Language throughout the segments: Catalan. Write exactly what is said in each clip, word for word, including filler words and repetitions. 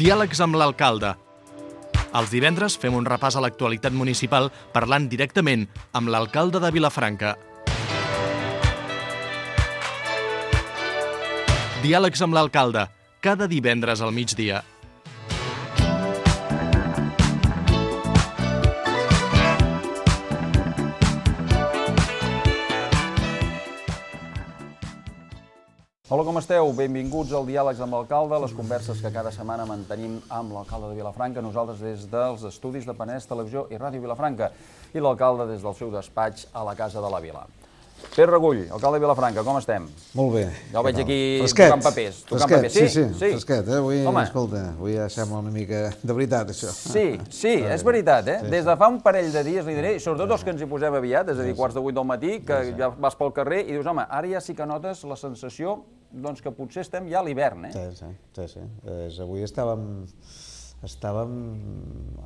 Diàlegs amb l'alcalde. Els divendres fem un repàs a l'actualitat municipal parlant directament amb l'alcalde de Vilafranca. Diàlegs amb l'alcalde, cada divendres al migdia. Hola, com esteu? Benvinguts al Diàlegs amb l'alcalde, les converses que cada setmana mantenim amb l'alcalde de Vilafranca, nosaltres des dels estudis de Penedès Televisió i Ràdio Vilafranca i l'alcalde des del seu despatx a la Casa de la Vila. Pere Regull, alcalde de Vilafranca, com estem? Molt bé. Ja ho veig aquí fresquet. tocant papers. Tocant Fresquet, papers. sí, sí, sí, fresquet. Eh? Avui, Home. escolta, avui ja sembla una mica de veritat, això. Sí, sí, és veritat, eh? Des de fa un parell de dies, li diré, sobretot els que ens hi posem aviat, és a dir, quarts de vuit del matí, que ja vas pel carrer i dius, home, ara ja sí que notes la sensació doncs que potser estem ja a l'hivern, eh? Sí, sí, sí, sí. És, avui estàvem, estàvem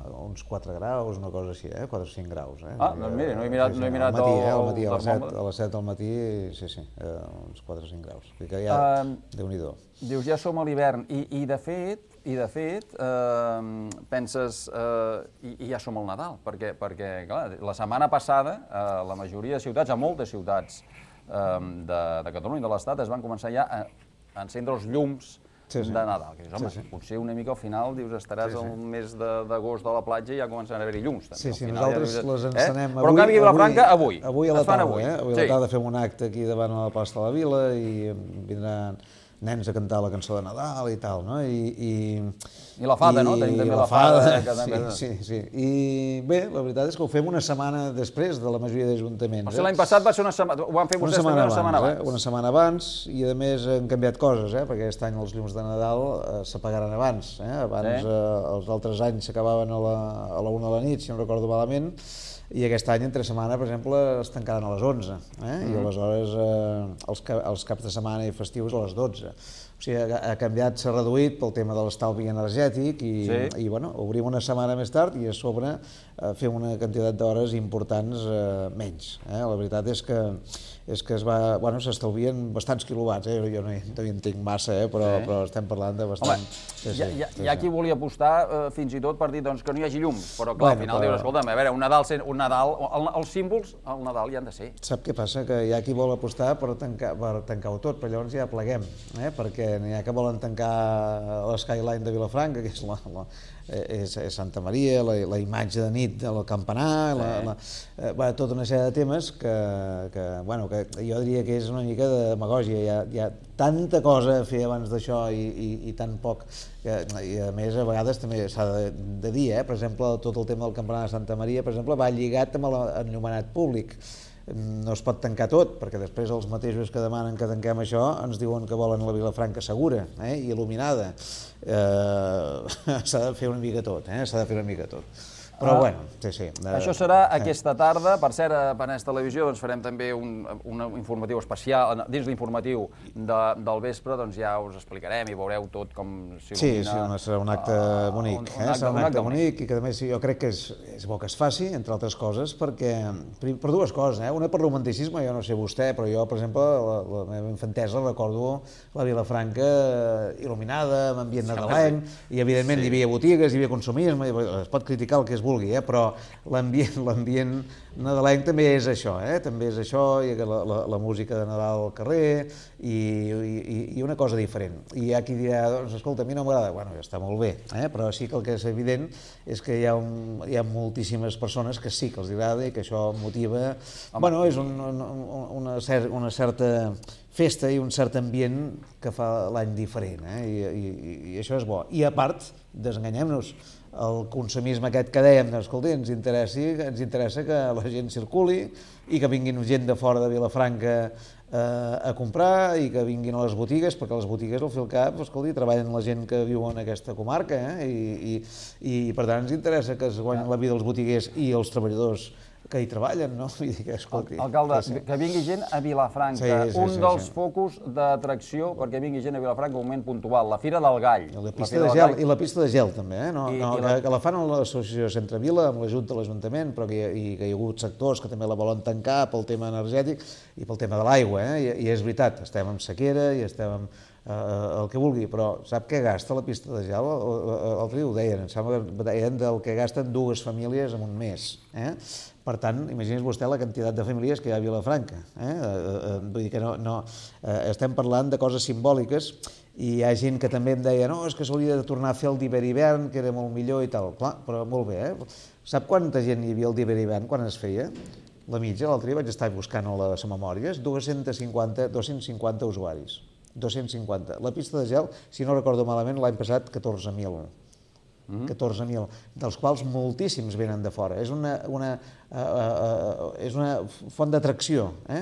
a uns quatre graus, una cosa així, eh? quatre o cinc graus, eh? Ah, doncs mira, no he mirat, sí, sí. no he mirat al matí, eh? el, Al matí, a les set, termòmetre. a les set del matí, sí, sí, eh, uns quatre o cinc graus. Vull dir que ja, Um, Déu-n'hi-do. Dius, ja som a l'hivern, i, i de fet, i de fet, eh, penses, eh, i, i ja som al Nadal, perquè, perquè clar, la setmana passada, a la majoria de ciutats, a moltes ciutats eh, de, de Catalunya i de l'Estat, es van començar ja a, a encendre els llums Sí, sí. de Nadal. Que dius, home, Sí, sí. potser una mica al final, dius, estaràs Sí, sí. al mes de- d'agost a la platja i ja començaran a haver-hi llums. També. Sí, Al sí, final, nosaltres ja dius, les eh? encenem Però en canvi a Vilafranca, avui. Avui a la Es fan tarda, avui. eh? Avui a Sí. la tarda fem un acte aquí davant a la plaça de la Vila i vindran nens a cantar la cançó de Nadal i tal, no? I, i, I la fada, no? Tenim també la fada, que també- Sí, sí, sí. I bé, la veritat és que ho fem una setmana després de la majoria d'ajuntaments. O sigui, l'any passat va ser una setmana, ho van fer Una vostès també setmana una setmana abans, abans. eh? Una setmana abans, i a més han canviat coses, eh? Perquè aquest any els llums de Nadal eh, s'apagaran abans. Eh? Abans, Sí. eh, els altres anys s'acabaven a, la, a la una de la nit, si no recordo malament, i aquest any, entre setmana, per exemple, es tancaran a les onze, eh? I aleshores eh, els, ca els caps de setmana i festius a les dotze. O sigui, ha, ha canviat, s'ha reduït pel tema de l'estalvi energètic i, Sí. i bueno, obrim una setmana més tard i a sobre eh, fem una quantitat d'hores importants eh, menys. Eh? La veritat és que és que es va, bueno, s'estalvien bastants quilowatts, eh? Jo no hi, no hi entenc massa, eh? però, Sí. però estem parlant de Home, bastant... Sí, hi ha, sí, hi ha, sí, hi ha sí. qui volia apostar eh, fins i tot per dir doncs, que no hi hagi llums, però clar, Bueno, al final però- dius, escolta'm, a veure, un Nadal, sen- un Nadal el, els símbols al Nadal hi han de ser. Sap què passa? Que hi ha qui vol apostar per tancar, per tancar-ho tot, però llavors ja pleguem, eh? Perquè n'hi ha que volen tancar l'Skyline de Vilafranca, que és, la, la, és, és Santa Maria, la, la imatge de nit del campanar, la, la, eh, va, tota una sèrie de temes que, que, bueno, que jo diria que és una mica de demagògia. Hi ha, hi ha tanta cosa a fer abans d'això i, i, i tan poc, que, i a més a vegades també s'ha de, de dir, eh? Per exemple, tot el tema del campanar de Santa Maria, per exemple, va lligat amb l'enllumenat públic. No es pot tancar tot, perquè després els mateixos que demanen que tanquem això ens diuen que volen la Vilafranca segura, eh, i il·luminada. Eh, s'ha de fer una mica tot, eh, s'ha de fer una mica tot. Però Ah. bueno, sí, sí. Eh, Això serà aquesta tarda. Per cert, a Penedès Televisió doncs, farem també un, un informatiu especial. Dins l'informatiu de, del vespre doncs, ja us explicarem i veureu tot com s'il·lumina. Sí, sí, home, serà un acte bonic, un- un eh? acte- serà un un acte acte bonic i que a més jo crec que és, és bo que es faci, entre altres coses, perquè, per, per dues coses, eh? Una per romanticisme, jo no sé vostè, però jo, per exemple, la, la meva infantesa recordo la Vilafranca il·luminada, amb ambient nadalenc, i evidentment hi havia botigues, hi havia consumisme, es pot criticar el que es vulgui, eh? Però l'ambient l'ambient nadalenc també és això, eh? També és això, i la, la, la música de Nadal al carrer, i, i, i una cosa diferent. I hi ha qui dirà, doncs, escolta, a mi no m'agrada, bueno, ja està molt bé, eh? Però sí que el que és evident és que hi ha, un, hi ha moltíssimes persones que sí que els agrada i que això motiva... Home. Bueno, és un, un, una, cer una certa festa i un cert ambient que fa l'any diferent, eh? I, i, i això és bo. I a part, desenganyem-nos, el consumisme aquest que dèiem, doncs, escolta, ens, interessi, ens interessa que la gent circuli i que vinguin gent de fora de Vilafranca eh, a comprar i que vinguin a les botigues, perquè les botigues, al fi al cap, escolta, treballen la gent que viu en aquesta comarca, eh? I, i, i per tant ens interessa que es guanyin la vida els botiguers i els treballadors que hi treballen, no? Vull dir que, escolti... Alcalde, que vingui gent a Vilafranca, un dels focus d'atracció perquè vingui gent a Vilafranca en un moment puntual, la Fira del Gall. La pista de gel, i la pista de gel també, eh? Que la fan a l'associació Centre Vila, amb l'ajut de l'Ajuntament, però que hi ha hagut sectors que també la volen tancar pel tema energètic i pel tema de l'aigua, eh? I és veritat, estem en sequera i estem en el que vulgui, però sap què gasta la pista de gel? L'altre dia ho deien, em sembla que deien del que gasten dues famílies en un mes, eh? Per tant, imagini's vostè la quantitat de famílies que hi ha a Vilafranca. Vull dir que no... Estem parlant de coses simbòliques i hi ha gent que també em deia no, és que s'hauria de tornar a fer el d'hivern-hivern, que era molt millor i tal. Clar, però molt bé, eh? Sap quanta gent hi havia el d'hivern-hivern quan es feia? La mitja, l'altre dia vaig estar buscant a les memòries, dos-cents cinquanta usuaris. dos-cents cinquanta. La pista de gel, si no recordo malament, l'any passat catorze mil. catorze mil, dels quals moltíssims venen de fora. És una, una, uh, uh, és una font d'atracció, eh?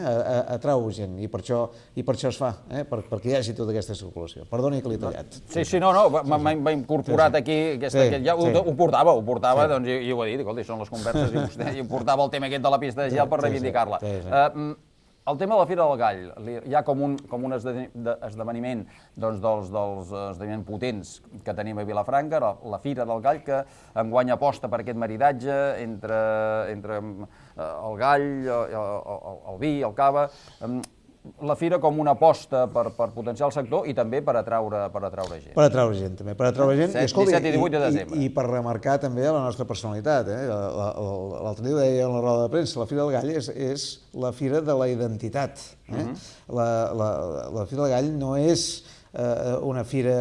Atrau gent, i per això, i per això es fa, eh? Per, perquè hi hagi tota aquesta circulació. Perdoni que l'he tallat. Sí, sí, no, no, m'ha incorporat aquí, aquesta, sí, ja ho, sí. ho portava, ho portava, sí. Doncs, i, i ho he dit, escolta, són les converses, i vostè i portava el tema aquest de la pista de gel per reivindicar-la. Sí, sí, sí. Uh, El tema de la Fira del Gall, hi ha com un, com un esdeveniment doncs, dels, dels esdeveniments potents que tenim a Vilafranca, la, la Fira del Gall, que enguany aposta per aquest maridatge entre, entre el gall, el, el, el vi, el cava, la Fira com una aposta per, per potenciar el sector i també per atraure, per atraure gent. Per atraure gent, també. Per atraure gent, set, i, escolta, disset i divuit de desembre. I, i per remarcar també la nostra personalitat. Eh? L'altre dia ho deia en la roda de premsa, la Fira del Gall és, és la Fira de la identitat. Eh? Uh-huh. la, la, la Fira del Gall no és eh, una fira,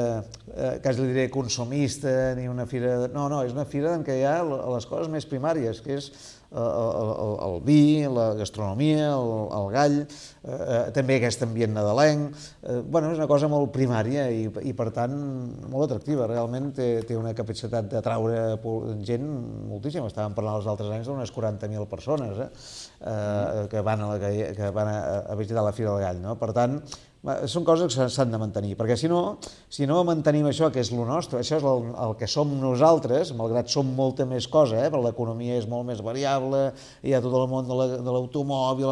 eh, quasi li diré, consumista, ni una fira... No, no, és una fira en què hi ha les coses més primàries, que és El, el, el vi, la gastronomia, el, el gall, eh, també aquest ambient nadalenc. Eh, bueno, és una cosa molt primària i, i per tant, molt atractiva. Realment té, té una capacitat d'atraure gent moltíssima. Estàvem parlant els altres anys d'unes quaranta mil persones eh, eh, que van, a, la, que, que van a, a visitar la Fira del Gall. No? Per tant, són coses que s'han de mantenir, perquè si no, si no mantenim això, que és el nostre, això és el, el que som nosaltres, malgrat som molta més cosa, eh, però l'economia és molt més variable, hi ha tot el món de l'automòbil,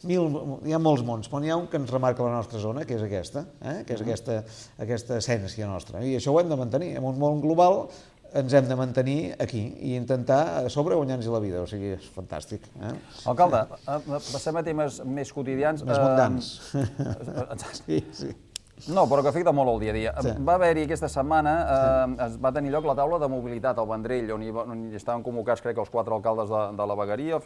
hi ha molts mons, però n'hi ha un que ens remarca la nostra zona, que és aquesta, eh, que és aquesta, aquesta essència nostra, i això ho hem de mantenir. En un món global ens hem de mantenir aquí i intentar a sobre guanyar-nos la vida, o sigui, és fantàstic. Eh? Alcalde, passem a temes més quotidians. Més mundans. Sí, sí. No, però que afecta molt el dia a dia. Sí. Va haver-hi aquesta setmana, eh, es va tenir lloc la taula de mobilitat al Vendrell, on hi, on hi estaven convocats, crec, els quatre alcaldes de, de la vegueria,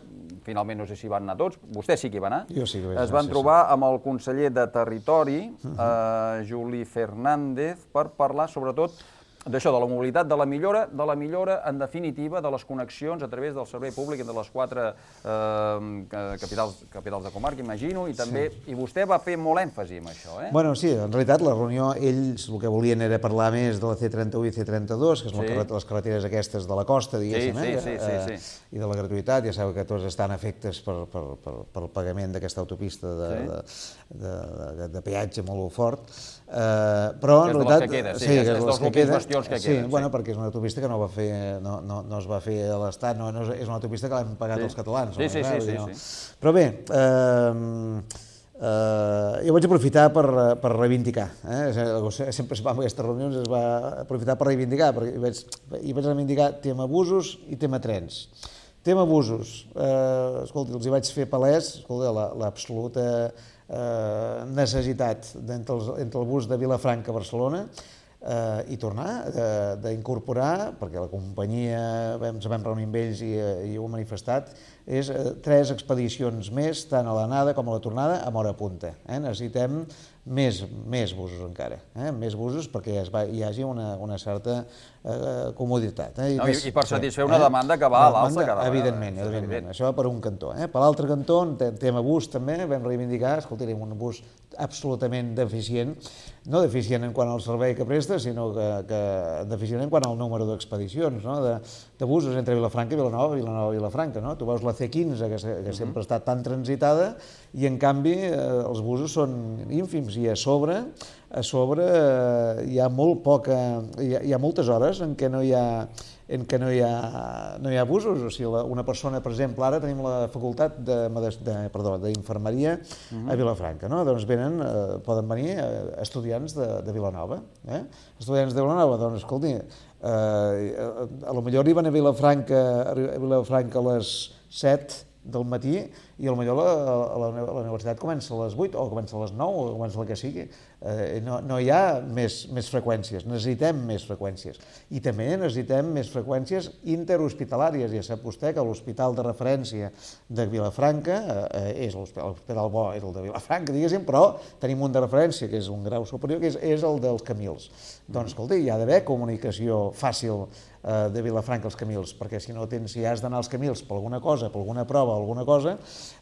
finalment no sé si van anar tots, vostè sí que hi va anar. Jo sí que hi vaig anar, es van sí, trobar sí. amb el conseller de Territori, eh, Juli Fernández, per parlar sobretot d'això, de la mobilitat, de la millora, de la millora, en definitiva, de les connexions a través del servei públic entre les quatre eh, capitals, capitals de comarca, imagino, i també, sí. I vostè va fer molt èmfasi en això, eh? Bueno, sí, en realitat la reunió, ells el que volien era parlar més de la C trenta-u i C trenta-dos, que són sí. les carreteres aquestes de la costa, diguéssim, sí, sí, eh? sí, sí, sí, sí. I de la gratuïtat, ja sabeu que tots estan afectes per, per, per, per el pagament d'aquesta autopista de, sí. de, de, de, de peatge molt fort, eh, però en realitat... Que és de les que queda, sí, sí, és, és dels últims bastions que sí, queden. Bueno, sí, perquè és una autopista que no, va fer, no, no, no es va fer a l'Estat, no, no és una autopista que l'hem pagat sí. els catalans. Sí, no? sí, sí, sí, no? sí. Però bé, eh, eh, jo vaig aprofitar per, per reivindicar. Eh? Sempre es va en aquestes reunions, es va aprofitar per reivindicar, perquè hi vaig, hi vaig reivindicar tema busos i tema trens. Tema busos, eh, escolti, els hi vaig fer palès, escolta, l'absoluta eh, necessitat entre, els, entre el bus de Vilafranca a Barcelona eh, i tornar, d'incorporar, perquè la companyia, ens vam reunir amb ells i, i ho hem manifestat, és eh, tres expedicions més, tant a l'anada com a la tornada, amb hora punta. Eh? Necessitem més, més busos encara, eh? més busos perquè es va, hi hagi una, una certa eh, comoditat. Eh? I, no, més, I per satisfer eh? una demanda que va a l'alça cada vegada. Evidentment, eh? evidentment. Això va per un cantó. Eh? Per l'altre cantó, en tema bus també, vam reivindicar, escolta, tenim un bus absolutament deficient, no deficient en quant al servei que presta, sinó que, que deficient en quant al número d'expedicions, no? de, de busos entre Vilafranca i Vilanova, Vilanova i Vilafranca. No? Tu veus la C quinze, que, que sempre ha estat tan transitada, i en canvi eh, els busos són ínfims, i a sobre, a sobre eh, hi ha molt poca, hi ha, hi ha moltes hores en què no hi ha, en què no hi ha, no hi ha abusos. O sigui, una persona, per exemple, ara tenim la facultat de, de, perdó, d'infermeria uh-huh. a Vilafranca, no? Doncs venen, eh, poden venir estudiants de, de Vilanova. Eh? Estudiants de Vilanova, doncs, escolti, eh, a lo millor arriben a Vilafranca, a Vilafranca a les set del matí i potser la, la, la universitat comença a les vuit o comença a les nou o comença el que sigui. Eh, no, no hi ha més, més freqüències, necessitem més freqüències. I també necessitem més freqüències interhospitalàries. Ja sap vostè que l'hospital de referència de Vilafranca eh, és l'hospital bo, és el de Vilafranca, diguéssim, però tenim un de referència que és un grau superior, que és, és el dels Camils. Doncs, escolta, hi ha d'haver comunicació fàcil de Vilafranca als Camils, perquè si no tens, si has d'anar als Camils per alguna cosa, per alguna prova, alguna cosa,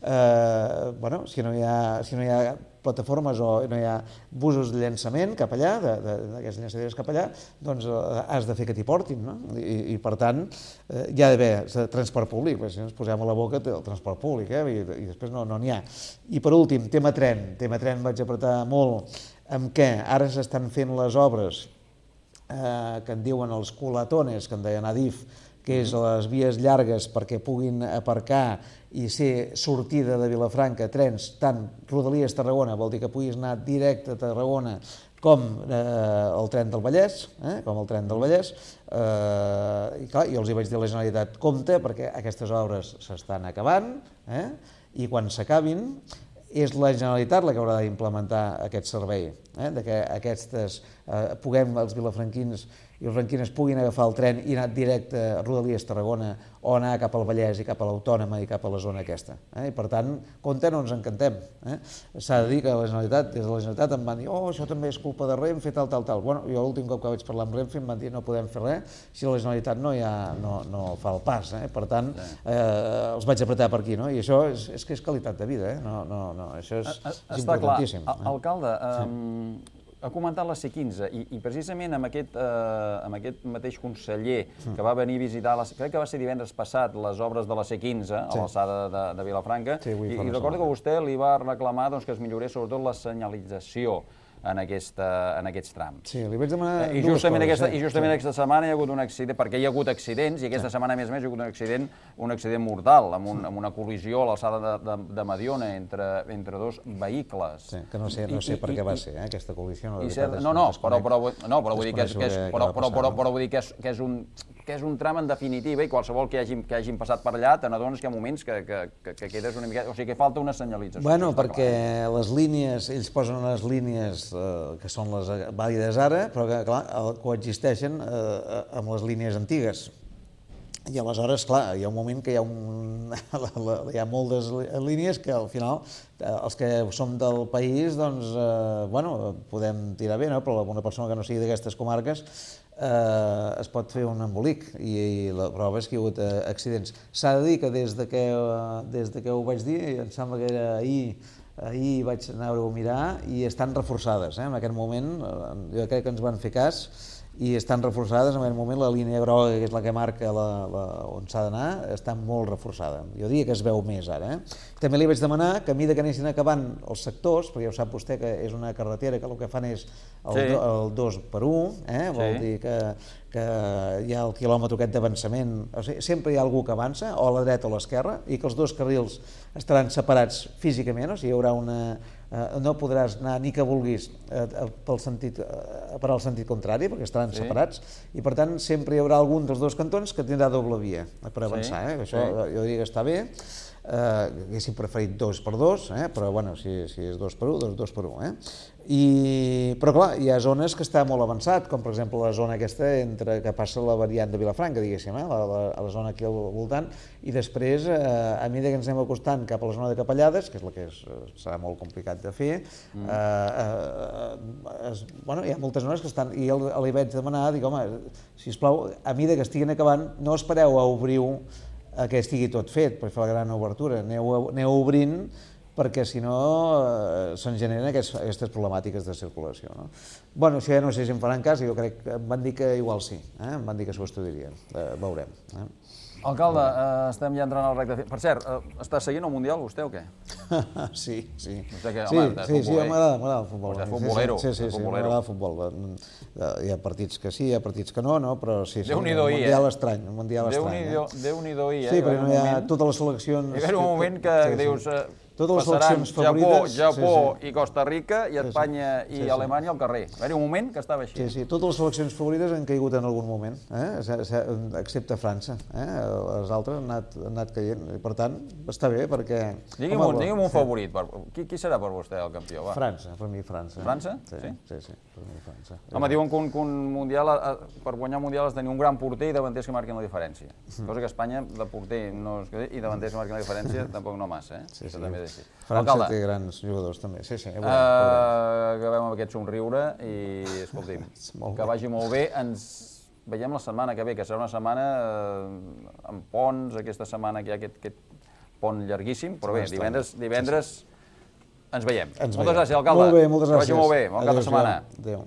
eh, bueno, si no hi ha, si no hi ha plataformes o no hi ha busos de llançament cap allà, d'aquestes llançadores cap allà, doncs eh, has de fer que t'hi portin, no? I, i per tant, eh, hi ha d'haver transport públic, perquè si no ens posem a la boca el transport públic, eh? I, i després no n'hi no ha. I per últim, tema tren, tema tren vaig apretar molt, amb què ara s'estan fent les obres Eh, que en diuen els culatones, que en deien Adif, que és les vies llargues perquè puguin aparcar i ser sortida de Vilafranca trens, tant Rodalies Tarragona, vol dir que puguis anar directe a Tarragona com eh, el tren del Vallès, eh, com el tren del Vallès, eh, i clar, jo els hi vaig dir a la Generalitat, compte, perquè aquestes obres s'estan acabant, eh, i quan s'acabin, és la Generalitat la que haurà d'implementar aquest servei, eh? de que aquestes, eh, puguem, els vilafranquins i els franquines puguin agafar el tren i anar directe a Rodalies Tarragona o anar cap al Vallès i cap a l'Autònoma i cap a la zona aquesta. Eh? I per tant, compte, no ens encantem. Eh? S'ha de dir que la Generalitat, des de la Generalitat em van dir oh, això també és culpa de Renfe, tal, tal, tal. Bueno, jo l'últim cop que vaig parlar amb Renfe em van dir no podem fer res si la Generalitat no, ha, no, no fa el pas. Eh? Per tant, eh, els vaig apretar per aquí, no? I això és, és que és qualitat de vida, eh? no, no, no, això és, és importantíssim. Està clar. Alcalde, eh, ha comentat la C quinze i, i precisament amb aquest, eh, amb aquest mateix conseller que va venir a visitar, la, crec que va ser divendres passat, les obres de la C quinze a sí. l'alçada de, de Vilafranca, sí, i, i recordo que vostè li va reclamar doncs, que es millorés sobretot la senyalització en, aquesta, en aquests trams. Sí, li vaig demanar I justament, dues coses, aquesta, eh? I justament sí. aquesta setmana hi ha hagut un accident, perquè hi ha hagut accidents, i aquesta sí. setmana, a més a més, hi ha hagut un accident, un accident mortal, amb, un, amb una col·lisió a l'alçada de, de, de Mediona entre, entre dos vehicles. Sí, que no sé, no sé I, per què i, va ser, eh, aquesta col·lisió. No, cert, no, no, però, però, no, però vull dir que és, que és, però, però, però, però vull dir que és, que és un que és un tram en definitiva i qualsevol que hagin, que hagin passat per allà te n'adones que hi ha moments que, que, que, que quedes una mica... O sigui, que falta una senyalització. Bueno, perquè clar. les línies, ells posen unes línies eh, que són les vàlides ara, però que, clar, coexisteixen eh, amb les línies antigues. I aleshores, clar, hi ha un moment que hi ha, un, hi ha moltes línies que al final els que som del país, doncs, eh, bueno, podem tirar bé, no? Però una persona que no sigui d'aquestes comarques eh, es pot fer un embolic i, i la prova és que hi ha hagut eh, accidents. S'ha de dir que des de que, des de que ho vaig dir, em sembla que era ahir, ahir vaig anar-ho a mirar i estan reforçades. Eh? En aquest moment, jo crec que ens van fer cas, i estan reforçades, en aquest moment la línia groga, que és la que marca la, la, on s'ha d'anar, està molt reforçada. Jo diria que es veu més ara. Eh? També li vaig demanar que a mesura que anessin acabant els sectors, perquè ja ho sap vostè que és una carretera que el que fan és el, sí. el dos per un, eh? Vol sí. dir que, que hi ha el quilòmetre aquest d'avançament, o sigui, sempre hi ha algú que avança, o a la dreta o a l'esquerra, i que els dos carrils estaran separats físicament, o sigui, hi haurà una... Uh, no podràs anar ni que vulguis uh, pel sentit, uh, per al sentit contrari, perquè estaran sí. separats, i per tant sempre hi haurà algun dels dos cantons que tindrà doble via per avançar. Sí. Eh? Això sí. jo diria que està bé. Uh, haguéssim preferit dos per dos, eh? Però bueno, si, si és dos per un, doncs dos per un. Eh? I, però clar, hi ha zones que està molt avançat, com per exemple la zona aquesta entre, que passa la variant de Vilafranca, diguéssim, eh? la, la, la zona aquí al voltant, i després, eh, a mesura que ens anem acostant cap a la zona de Capellades, que és la que és, serà molt complicat de fer, mm. eh, eh, es, bueno, hi ha moltes zones que estan, i li vaig demanar, dic, home, sisplau, a mesura que estiguin acabant, no espereu a obrir que estigui tot fet per fer la gran obertura, aneu, aneu obrint perquè si no eh, se'n generen aquests, aquestes problemàtiques de circulació. No? Bueno, això ja no sé si em faran cas, jo crec que em van dir que igual sí, eh? Em van dir que s'ho estudiarien, eh, veurem. Eh? Alcalde, eh, estem ja entrant al recte. Per cert, eh, està seguint el Mundial vostè o què? Sí, sí. Vostè que, sí, home, sí, sí, m'agrada, m'agrada el futbol. Vostè és futbolero. Sí, sí, sí, m'agrada el futbol. Hi ha partits que sí, hi ha partits que no, no, però sí, sí. Déu-n'hi-do, un mundial estrany, un mundial estrany. Déu-n'hi-do, eh? Sí, perquè no hi ha totes les seleccions... Hi ha un moment que dius... Totes les passaran seleccions favorites... Japó, Japó i Costa Rica i Espanya i Alemanya al carrer. Va haver un moment que estava així. Sí, sí, totes les seleccions favorites han caigut en algun moment, excepte França. Les altres han anat caient. Per tant, està bé perquè... Digui'm un favorit. Qui serà per vostè el campió? França, per mi França. França? Sí, sí, per mi França. Home, diuen que un mundial, per guanyar un mundial has de tenir un gran porter i davanters que marquin la diferència. Cosa que Espanya, de porter i davanters que marquin la diferència, tampoc no massa, eh? Sí, sí. França té grans jugadors també, sí, sí. Acabem amb aquest somriure i, escolti'm, que vagi molt bé. Ens veiem la setmana que ve, que serà una setmana amb ponts, aquesta setmana que hi ha aquest pont llarguíssim, però bé, divendres ens veiem. Moltes gràcies, alcalde. Molt bé, moltes gràcies. Que vagi molt bé, bon cap de setmana. Adéu.